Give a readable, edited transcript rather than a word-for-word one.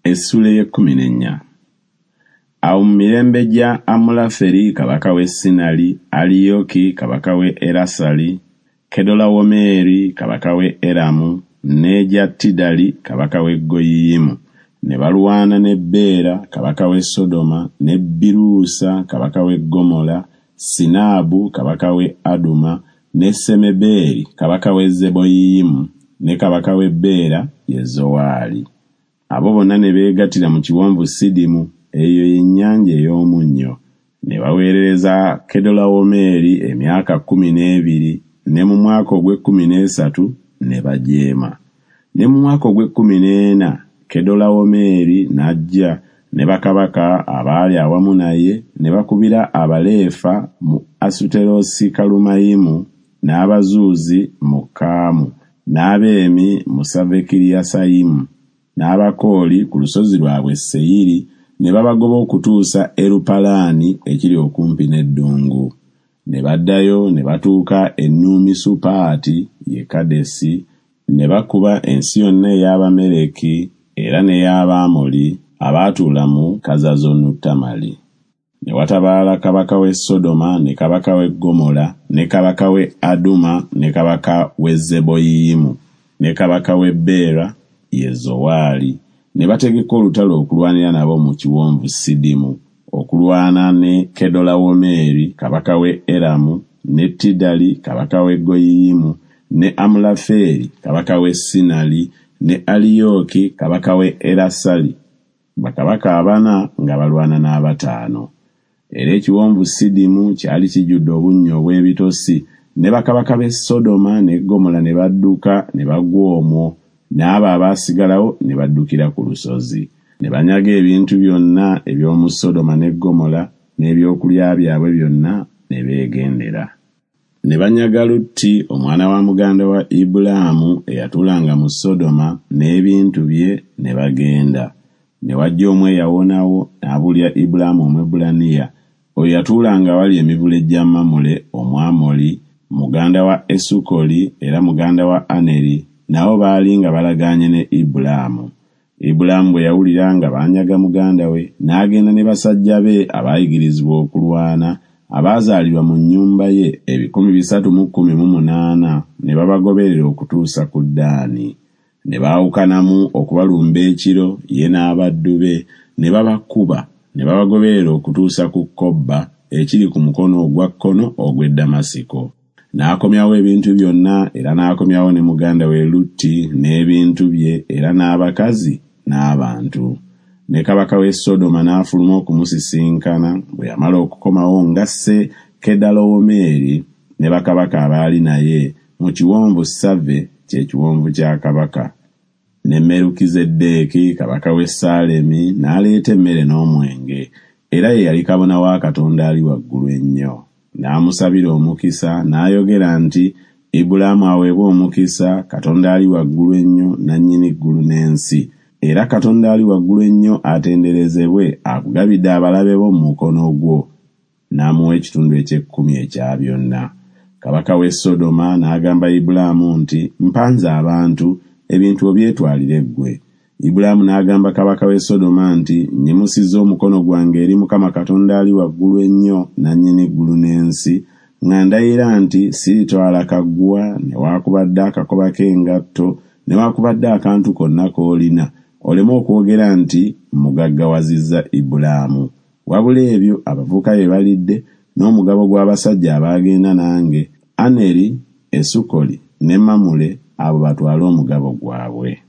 Essuula ey'ekkumi n'ennya. Awo mu mirembe gya Amulaferi kabaka w'e Sinali, Aliyoki kabaka w'e Erasali, Kedolawomeeri kabaka w'e Eramu, n'egya Tidali kabaka w'e Goyiyimu, ne balwana ne Beera kabaka w'e Sodoma, ne Biruusa kabaka w'e Ggomola, Sinaabu kabaka w'e Aduma, ne Semebeeri kabaka w'e Zeboyiyimu, ne kabaka w'e Bera, ye Zowaali. Abo bonna ne beegattira mu kiwonvu Sidimu, eyo ye Nnyanja ey'Omunnyo. Ne baweerereza Kedolawomeeri emyaka 12, ne mu mwaka ogw'ekkumi n'esatu ne bajeema. Ne mu mwaka ogw'ekkumi n'ena Kedolawomeeri n'ajja ne bakabaka abaali awamu naye ne bakubira Abaleefa mu Asuterosikalumayimu, n'Abazuuzi mu Kaamu, n'Abeemi mu Savekiriyasayimu, n'Abakooli ku lusozi lwabwe Seyiri, ne babagoba okutuusa Erupalaani ekiri okumpi n'eddungu. Ne baddayo ne batuuka e Numisupaati, ye Kadesi, ne bakuba ensi yonna ey'Abameleki era n'ey'Abamoli abaatuula mu Kazazonutamali. Ne watabaala kabaka w'e Sodoma ne kabaka w'e Ggomola ne kabaka w'e Aduma ne kabaka w'e Zeboyiyimu ne kabaka w'e Bera, ye Zowaali, ne bategeka olutalo okulwanira nabo mu kiwonvu Sidimu, okulwana ne Kedolawomeeri kabaka w'e Eramu, ne Tidali kabaka w'e Goyiyimu, ne Amulafeeri kabaka w'e Sinali, ne Aliyooki kabaka w'e Erasali, bakabaka abana nga balwana n'abataano. Era ekiwonvu Sidimu kyali kijjudde obunnya obw'ebitosi, ne bakabaka b'e Sodoma ne Ggomola ne badduka ne bagwa omwo, n'abo abaasigalawo ne baddukira ku lusozi. Ne banyaga ebintu byonna eby'omu Sodoma ne Ggomola n'ebyokulya byabwe byonna ne beegendera. Ne banyaga Lutti omwana wa muganda wa Ibulaamu eyatuulanga mu Sodoma n'ebintu bye ne bagenda. Ne wajja omu eyawonawo n'abuulira Ibulaamu Omwebbulaniya, oyo yatuulanga awali emivule gya Mamule Omwamoli, muganda wa Esukoli era muganda wa Aneri, nabo baali nga balagaanye ne Ibulaamu. Ibulaamu bwe yawulira nga banyaga muganda we, n'agenda ne basajja be abaayigirizibwa okulwana, abaazaalirwa mu nnyumba ye 318, ne babagoberera okutuusa ku Ddaani. Ne baawukanamu okubalumba ekiro, ye n'abaddu be, ne babakuba, ne babagoberera okutuusa ku Kobba, ekiri ku mukono ogwa kkono ogw'e Ddamasiko. N'akomyawo ebintu byonna era n'akomyawo ne muganda we Lutti n'ebintu bye era n'abakazi n'abantu. Ne kabaka w'e Sodoma n'afuluma okumusisinkana bwe yamala okukomawo ng'asse Kedalowomeeri ne bakabaka abaali naye mu kiwonvu Save kye kiwonvu kya kabaka. Ne Merukizeddeeki kabaka w'e Ssaalemi n'aleeta emmere n'omwenge, era ye yali kabona wa Katonda Ali Waggulu Ennyo. N'amusabira omukisa n'ayogera nti Ibulaamu aweebwe omukisa Katonda Ali Waggulu Ennyo nannyini ggulu n'ensi, era Katonda Ali Waggulu Ennyo atenderezebwe akugabidde abalabe bo mu mukono gwo. N'amuwa ekitundu eky'ekkumi ekya byonna. Kabaka w'e Sodoma n'agamba Ibulaamu nti Mpa nze abantu, ebintu obyetwalire ggwe. Ibulaamu n'agamba kabaka w'e Sodoma nti Nnyimusizza omukono gwange eri Mukama Katonda Ali Waggulu Ennyo nannyini ggulu n'ensi, nga ndayira nti siritwala kaguwa newaakubadde akakoba k'engatto newaakubadde akantu konna k'olina, oleme okwogera nti Mmugaggawazizza Ibulaamu. Wabula ebyo abavubuka bye balidde, n'omugabo gw'abasajja abaagenda nange, Aneri, Esukoli ne Mamule, abo batwale omugabo gwabwe.